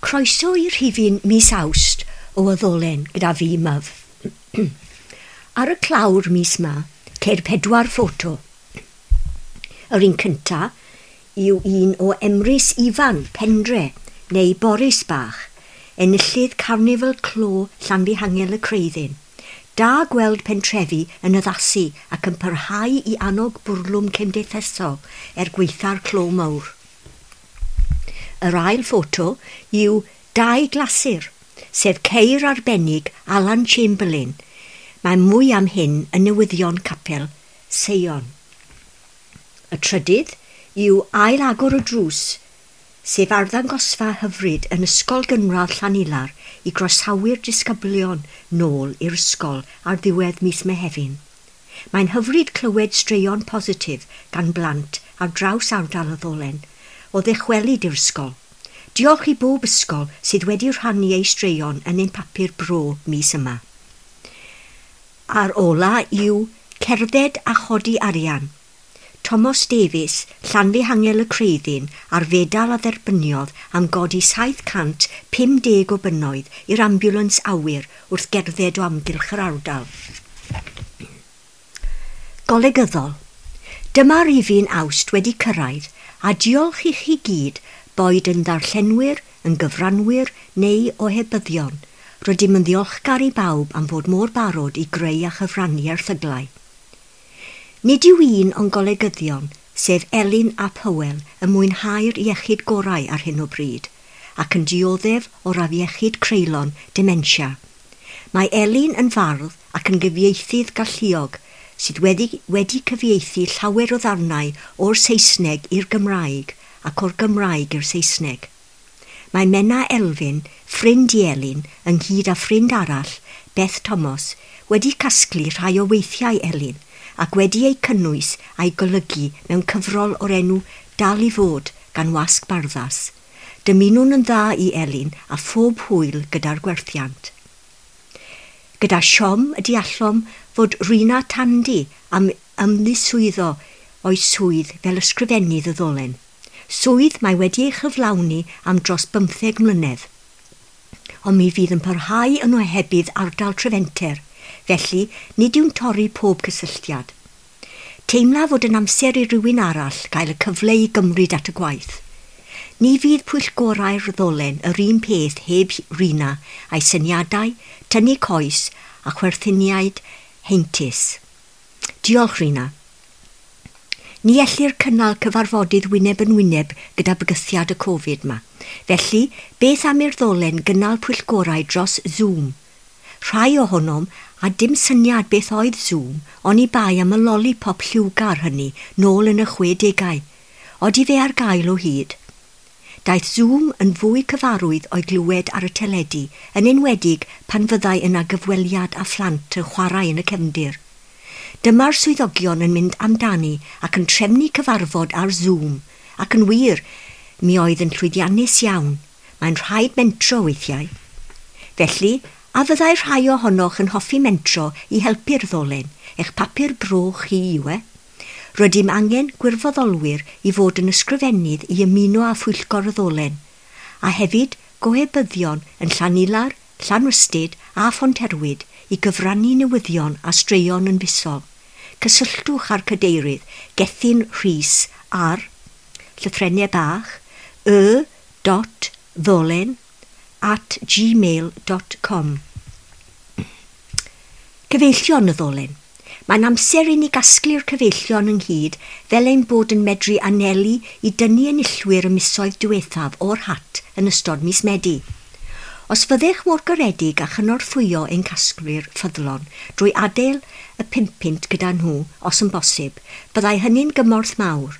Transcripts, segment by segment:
Croeso i rhifyn mis Awst o Y Ddolen gyda fi, Myf. Ar y clawr mis 'ma, ceir pedwar ffoto. Yr un cynta yw un o Emrys Ifan, Pendre, neu Boris Bach, enillydd Carnifal Clo Llanfihangel y Creuddyn. Da gweld pentrefi yn addasu ac yn parhau i annog bwrlwm cymdeithasol er gwaetha'r clo mawr. Yr ail ffoto yw dau glasur, sef ceir arbennig Alan Chamberlain. Mae mwy am hyn yn newyddion capel Seion. Y trydydd yw ail agor y drws, sef arddangosfa hyfryd yn Ysgol Gynradd Llanilar i groesawu'r disgyblion nôl i'r ysgol ar ddiwedd mis Mehefin. Mae'n hyfryd clywed straeon positif gan blant ar draws ardal y Ddolen o ddychwelyd i'r ysgol. Diolch i bob ysgol sydd wedi rhannu eu straeon yn ein papur bro mis yma. A'r ola yw cerdded a chodi arian. Thomas Davies, Llanfihangel y Creuddyn, a'r fedal a dderbyniodd am godi 750 o bunnoedd i'r ambiwlans awyr wrth gerdded o amgylch yr ardal. Golygyddol. Dyma rifyn Awst wedi cyrraedd, a diolch i chi gyd, boed yn ddarllenwyr, yn gyfranwyr neu ohebyddion. Rydym yn ddiolchgar i bawb am fod mor barod i greu a chyfrannu erthyglau. Nid yw un o'n golegyddion, sef Elin ap Hywel, yn mwynhau'r iechyd gorau ar hyn o bryd, ac yn dioddef o'r afiechyd creulon dementia. Mae Elin yn fardd ac yn gyfieithydd galluog sydd wedi, wedi cyfieithu llawer o ddarnau o'r Saesneg i'r Gymraeg ac o'r Gymraeg i'r Saesneg. Mae Menna Elfyn, ffrind i Elin, ynghyd â ffrind arall, Beth Thomas, wedi casglu rhai o weithiau Elin ac wedi eu cynnwys a'i golygu mewn cyfrol o'r enw Dal i Fod gan Wasg Barddas. Dymunwn yn dda i Elin a phob hwyl gyda'r gwerthiant. Gyda siom y deallom fod Rina Tandy am ymddiswyddo o'i swydd fel ysgrifennydd y Ddolen. Swydd mae wedi ei chyflawni am dros 15 mlynedd. Ond mi fydd yn parhau yn ohebydd ardal Trefenter, felly nid yw'n torri pob cysylltiad. Teimla fod yn amser i rywun arall gael y cyfle i gymryd at y gwaith. Ni fydd pwyllgorau'r Ddolen yr un peth heb Rina a'i syniadau, tynnu coes a chwerthiniaid heintus. Diolch, Rina. Ni ellir cynnal cyfarfodydd wyneb yn wyneb gyda bygythiad y Covid 'ma. Felly, beth am i'r Ddolen gynnal pwyllgorau dros Zoom? Rhai ohonom a dim syniad beth oedd Zoom, oni bai am y lollipop lliwgar hynny nôl yn y 60au. Odi fe ar gael o hyd? Daeth Zoom yn fwy cyfarwydd o'i glywed ar y teledu, yn enwedig pan fyddai yna gyfweliad â phlant yn chwarae yn y cefndir. Dyma'r swyddogion yn mynd amdani ac yn trefnu cyfarfod ar Zoom, ac yn wir, mi oedd yn llwyddiannus iawn. Mae'n rhaid mentro weithiau. Felly, a fyddai rhai ohonoch yn hoffi mentro i helpu'r Ddolen, eich papur bro chi yw e? Rydym angen gwirfoddolwyr i fod yn ysgrifennydd i ymuno â phwyllgor y Ddolen, a hefyd gohebyddion yn Llanilar, Llanrhystud a Phonterwyd i gyfrannu newyddion a straeon yn fisol. Cysylltwch â'r cadeirydd Gethin Rhys ar llythrennau bach y.ddolen@gmail.com. Cyfeillion y Ddolen. Mae'n amser i ni gasglu'r cyfeillion ynghyd fel ein bod yn medru anelu i dynnu enillwyr y misoedd diwethaf o'r hat yn ystod mis Medi. Os fyddech mor garedig a chynorthwyo ein casglwyr ffyddlon drwy adael y 5 punt gyda nhw, os yn bosib, byddai hynny'n gymorth mawr.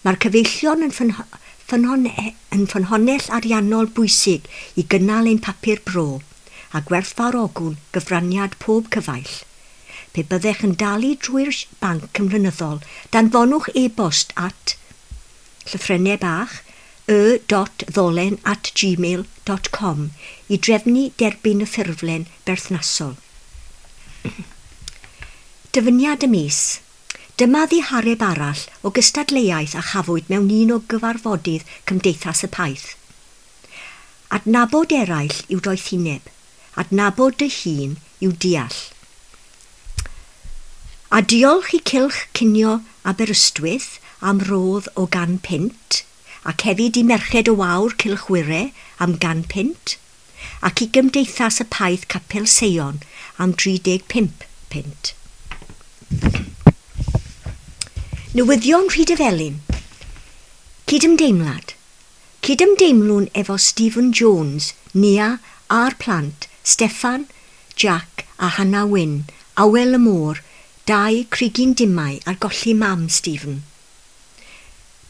Mae'r cyfeillion yn, ffynhon, yn ffynhonnell ariannol bwysig i gynnal ein papur bro a gwerthfawrogwn gyfraniad pob cyfaill. Pe byddech yn dalu drwy'r banc yn flynyddol, danfonwch e-bost at llythrennau bach y.ddolen@gmail.com i drefnu derbyn y ffurflen berthnasol. Dyfyniad y mis. Dyma ddihareb arall o gystadleuaeth a chafwyd mewn un o gyfarfodydd Cymdeithas y Paith. Adnabod eraill yw doethineb, adnabod dy hun yw deall. A diolch i Cylch Cinio Aberystwyth am rodd o £100, ac hefyd i Merched y Wawr Cylch Wyre am £100, ac i Gymdeithas y Paith Capel Seion am £35. Newyddion Rhydyfelin. Cydymdeimlad. Cydymdeimlwn efo Stephen Jones, Nia a'r plant, Steffan, Jack a Hannah Wyn, Awel y Môr, 2 Crigyn Dimau ar golli mam Stephen.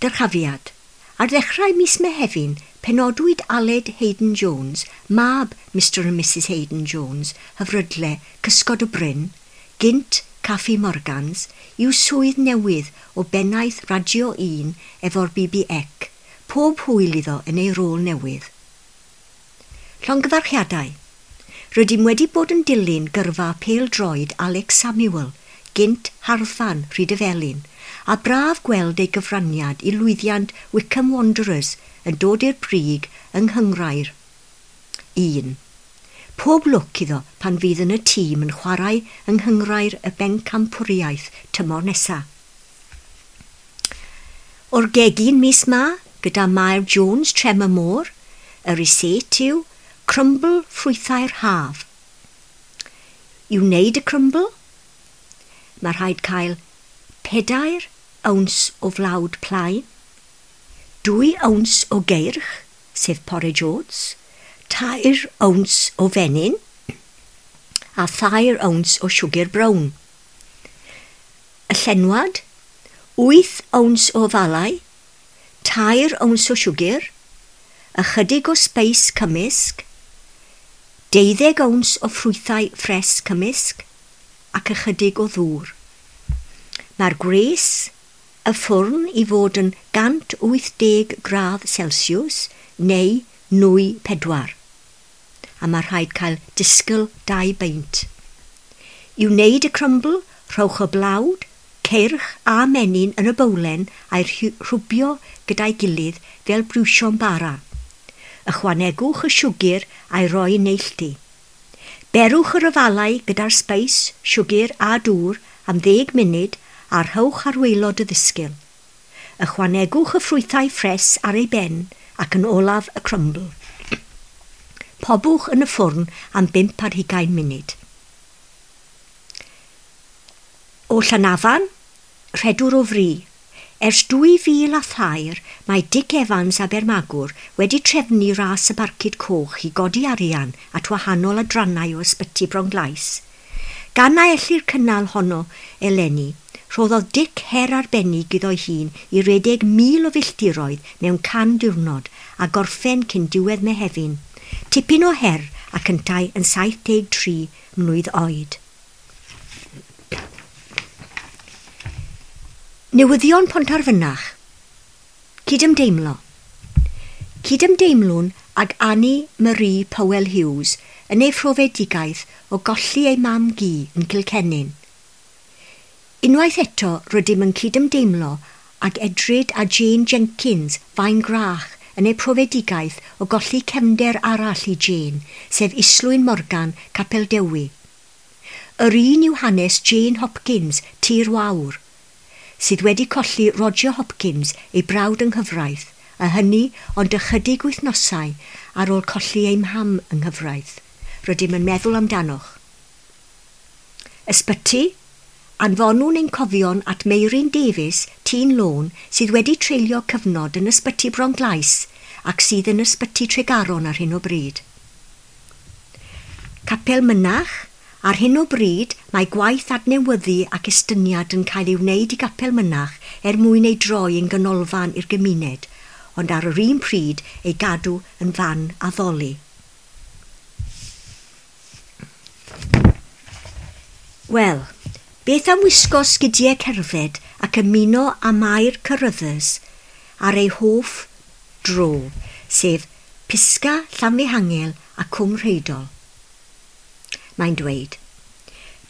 Dyrchafiad. Ar ddechrau mis Mehefin, penodwyd Aled Hayden Jones, mab Mr and Mrs Hayden Jones, Hyfrydle, Cysgod y Bryn, gynt Caffi Morgans, i'w swydd newydd o bennaeth Radio 1 efo'r BBC. Pob hwyl iddo yn ei rôl newydd. Llongyfarchiadau. Rydym wedi bod yn dilyn gyrfa pêl-droed Alex Samuel, gynt Harfan Rhydyfelin, a braf gweld ei gyfraniad i lwyddiant Wycombe Wanderers yn dod i'r brig yng Nghynghrair 1. Pob lwc iddo pan fydd yn y tîm yn chwarae yng Nghynghrair y Bencampwriaeth tymor nesaf. O'r gegin mis ma, gyda Mair Jones Trem y Môr, y rysáit yw crumble ffrwythau'r haf. I wneud y crumble, mae rhaid cael 4 owns o flawd plaen, 2 owns o geirch, sef porridge oats, 3 owns o fenyn, a 3 owns o siwgr brown. Y llenwad, 8 owns o falau, 3 owns o siwgr, ychydig o sbeis cymysg, 12 owns o ffrwythau ffres cymysg, ac ychydig o ddŵr. Mae'r gwres y ffwrn i fod yn 180 gradd Celsius neu nwy 4, a mae rhaid cael disgyl 2 beint. I wneud y crumble, rhowch y blawd, ceirch a menyn yn y bowlen a'i rhwbio gyda'i gilydd fel briwsion bara. Ychwanegwch y siwgr a'i roi neilltu. Berwch yr afalau gyda'r sbeis, siwgr a dŵr am 10 munud a rhowch ar waelod y ddisgyl. Ychwanegwch y ffrwythau ffres ar ei ben ac yn olaf y crumble. Pobwch yn y ffwrn am 25 munud. O Llanafan, rhedwr o fri. Ers 2003, mae Dick Evans Abermagwr wedi trefnu ras y Barcud Coch i godi arian at wahanol adrannau o ysbyty Bronglais. Gan na ellir cynnal honno eleni, rhoddodd Dick her arbennig iddo'i hun i redeg 1,000 o filltiroedd mewn 100 diwrnod a gorffen cyn diwedd Mehefin. Tipyn o her ac yntau yn 73 mlwydd oed. Newyddion Pontarfynach. Cydymdeimlo. Cydymdeimlwn ag Annie Marie Powell Hughes yn ei phrofedigaeth o golli ei mam gu yn Cilcennin. Unwaith eto rydym yn cydymdeimlo ag Edryd a Jane Jenkins Faen Grach yn ei profedigaeth o golli cefnder arall i Jane, sef Islwyn Morgan, Capel Dewi. Yr un yw hanes Jane Hopkins, Tir Wawr, sydd wedi colli Roger Hopkins ei brawd yng nghyfraith, a hynny ond ychydig wythnosau ar ôl colli ei mham yng nghyfraith. Rydym yn meddwl amdanoch. Ysbyty, anfonwn ein cofion at Meiryn Davies, Tîn Lôn, sydd wedi treulio cyfnod yn ysbyty Bronglais ac sydd yn ysbyty Tregaron ar hyn o bryd. Capel Mynach, ar hyn o bryd mae gwaith adnewyddu ac estyniad yn cael ei wneud i Gapel Mynach er mwyn ei droi yn ganolfan i'r gymuned, ond ar yr un pryd ei gadw yn fan addoli. Wel, beth am wisgo sgidiau cerdded ac ymuno â Mair Carruthers ar ei hoff dro, sef Pisga, Llanfihangel a Cwm Rheidol? Mae'n dweud,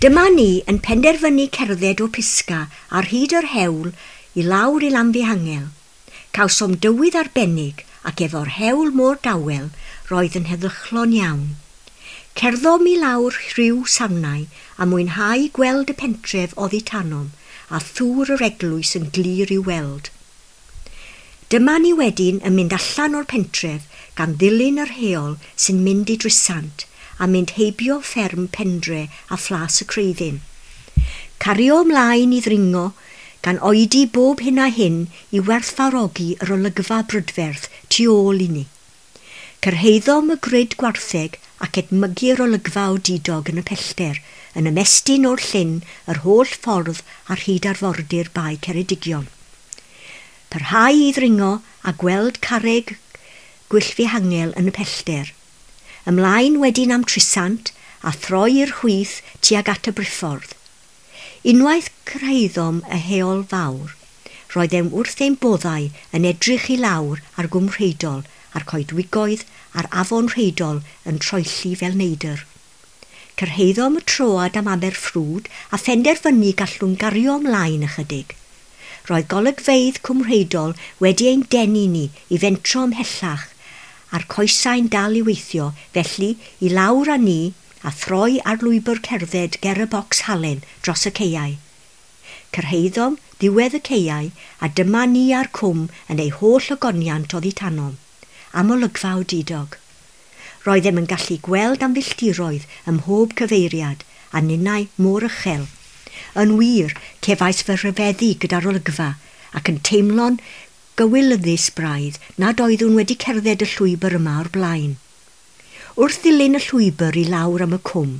dyma ni yn penderfynu cerdded o Pisga ar hyd yr hewl i lawr i Lanfihangel. Cawsom dywydd arbennig ac efo'r hewl mor dawel, Roedd yn heddychlon iawn. Cerddom i lawr rhyw sarnau a mwynhau gweld y pentref oddi tanom a thŵr yr eglwys yn glir i'w weld. Dyma ni wedyn yn mynd allan o'r pentref gan ddilyn yr heol sy'n mynd i Drisant a mynd heibio fferm Pendre a Phlas y Creuddyn. Cario ymlaen i ddringo gan oedi bob hyn a hyn i werthfawrogi yr olygfa brydferth tu ôl i ni. Cyrhaeddom y grid gwartheg ac edmygu'r olygfa odidog yn y pellter, yn ymestyn o'r llyn yr holl ffordd ar hyd arfordir Bae Ceredigion. Parhau i ddringo a gweld carreg Gwyllfihangel yn y pellter. Ymlaen wedyn am Trisant a throi i'r chwith tuag at y briffordd. Unwaith cyrhaeddom y heol fawr, roeddem wrth ein boddau yn edrych i lawr ar Gwm Rheidol a'r coedwigoedd a'r afon Rheidol yn troelli fel neidr. Cyrhaeddom y troad am Aberffrwd a phenderfynu gallwn gario ymlaen ychydig. Roedd golygfeydd Cwm Rheidol wedi ein denu ni i fentro ymhellach a'r coesau'n dal i weithio, felly i lawr â ni a throi ar lwybr cerdded ger y bocs halen dros y caeau. Cyrhaeddom ddiwedd y caeau a dyma ni a'r cwm yn ei holl ogoniant oddi tanom, am olygfa odidog. Roeddem yn gallu gweld am filltiroedd ym mhob cyfeiriad a ninnau mor uchel. Yn wir, cefais fy rhyfeddu gyda'r olygfa ac yn teimlo'n gywilyddus braidd nad oeddwn wedi cerdded y llwybr yma o'r blaen. Wrth ddilyn y llwybr i lawr am y cwm,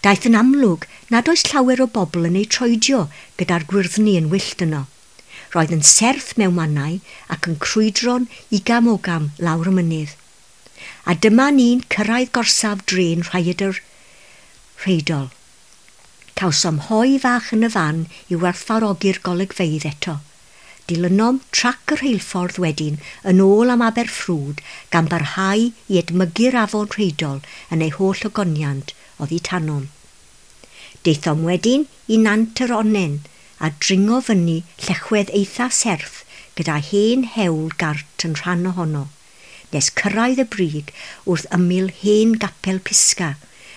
daeth yn amlwg nad oes llawer o bobl yn ei troedio gyda'r gwyrddni yn wyllt yno. Roedd yn serth mewn mannau ac yn crwydro'n igam ogam lawr y mynydd. A dyma ni'n cyrraedd gorsaf drên Rhaeadr Rheidol. Cawsom hoe fach yn y fan i werthfawrogi'r golygfeydd eto. Dilynom trac y rheilffordd wedyn yn ôl am Aberffrwd gan barhau i edmygu'r afon Rheidol yn ei holl ogoniant oddi tanom. Daethom wedyn i Nant yr Onnen a dringo fyny llechwedd eitha serth gyda hen hewl gart yn rhan ohono, nes cyrraedd y brig wrth ymyl hen gapel Pisga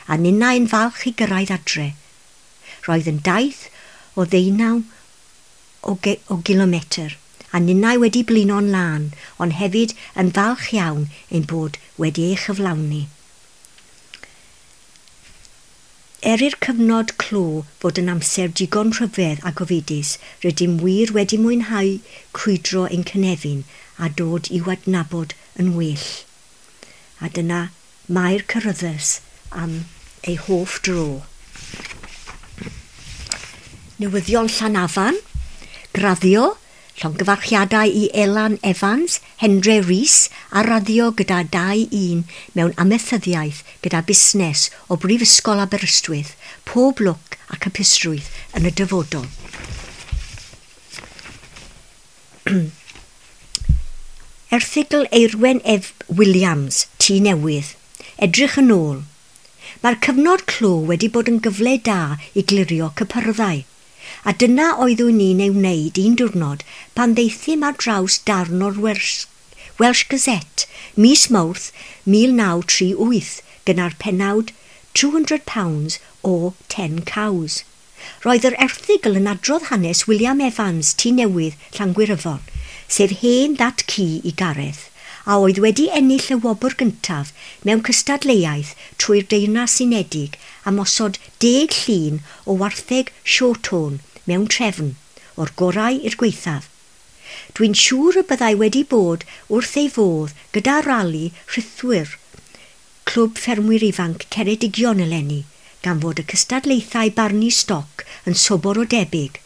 a ninnau'n falch i gyrraedd adre. Roedd yn daith o 19 o gilometr, a ninnau wedi blino'n lân, ond hefyd yn falch iawn ein bod wedi ei chyflawni. Er i'r cyfnod clo fod yn amser digon rhyfedd a gofidus, rydym wir wedi mwynhau crwydro ein cynefin a dod i'w adnabod yn well. A dyna Mair Carruthers am ei hoff dro. Newyddion Llanafan, graddio, llongyfarchiadau i Elan Evans, Hendre Rees a raddio gyda 2-1 mewn amaethyddiaeth gyda busnes o Brifysgol Aberystwyth, pob lwc ac hapusrwydd yn y dyfodol. Erthygl Eirwen F. Williams, Tŷ Newydd. Edrych yn ôl. Mae'r cyfnod clo wedi bod yn gyfle da i glirio cypyrddau. A dyna oeddwn ni'n ei wneud un diwrnod pan ddaethum ar draws darn o'r Welsh Gazette mis Mawrth 1938 gyda'r pennawd £200 o 10 Cows. Roedd yr erthygl yn adrodd hanes William Evans, Tŷ Newydd, Llangwyryfon, sef hen dad ci i Gareth, a oedd wedi ennill y wobr gyntaf mewn cystadleuaeth trwy'r Deyrnas Unedig am osod 10 llun o wartheg Shorthorn mewn trefn, o'r gorau i'r gwaethaf. Dwi'n siŵr y byddai wedi bod wrth ei fodd gyda rali rhithwyr Clwb Ffermwyr Ifanc Ceredigion eleni, gan fod y cystadlaethau barnu stoc yn sobor o debyg,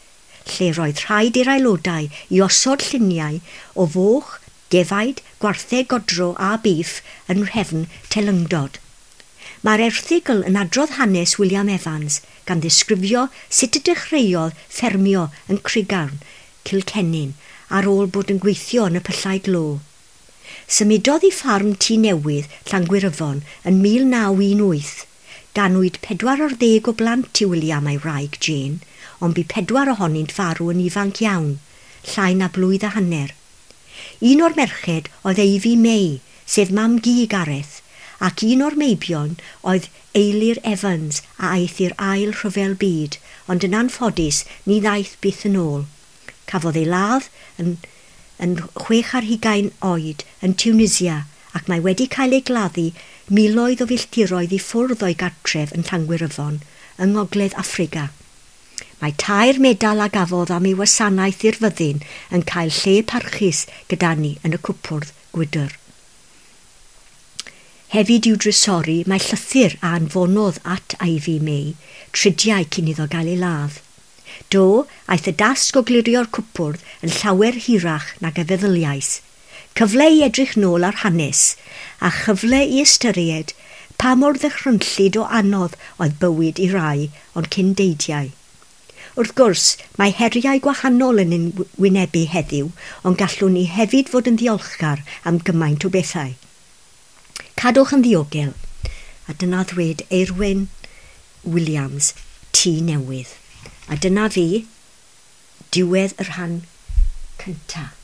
lle roedd rhaid i'r aelodau i osod lluniau o foch, defaid, gwartheg godro a biff yn nhrefn teilyngdod. Mae'r erthygl yn adrodd hanes William Evans gan ddisgrifio sut y dechreuodd ffermio yn Crugarn, Cilcennin, ar ôl bod yn gweithio yn y pyllau glo. Symudodd i ffarm Tŷ Newydd, Llangwyryfon, yn 1918. Ganwyd 40 o blant i William a'i wraig Jane, ond bu 4 ohonynt farw yn ifanc iawn, llai na blwydd a hanner. Un o'r merched oedd Ivy May, sef mam-gu Gareth, ac un o'r meibion oedd Eilir Evans a aeth i'r ail rhyfel byd, ond yn anffodus ni ddaeth byth yn ôl. Cafodd ei ladd yn, yn 26 oed yn Tunisia ac mae wedi cael ei gladdu miloedd o filltiroedd i ffwrdd o'i gartref yn Llangwyryfon yng Ngogledd Affrica. Mae tair medal a gafodd am ei wasanaeth i'r fyddin yn cael lle parchus gyda ni yn y cwpwrdd gwydr. Hefyd i'w drysori mae llythyr a anfonodd at Ivy May tridiau cyn iddo gael ei ladd. Do, aeth y dasg o glirio'r cwpwrdd yn llawer hirach nag y feddyliais. Cyfle i edrych nôl ar hanes, a chyfle i ystyried pa mor ddychrynllyd o anodd oedd bywyd i rai o'n cyndeidiau. Wrth gwrs, mae heriau gwahanol yn ein wynebu heddiw, ond gallwn ni hefyd fod yn ddiolchgar am gymaint o bethau. Cadwch yn ddiogel. A dyna ddweud Eirwyn Williams, Tŷ Newydd. A dyna fi, diwedd y rhan cyntaf.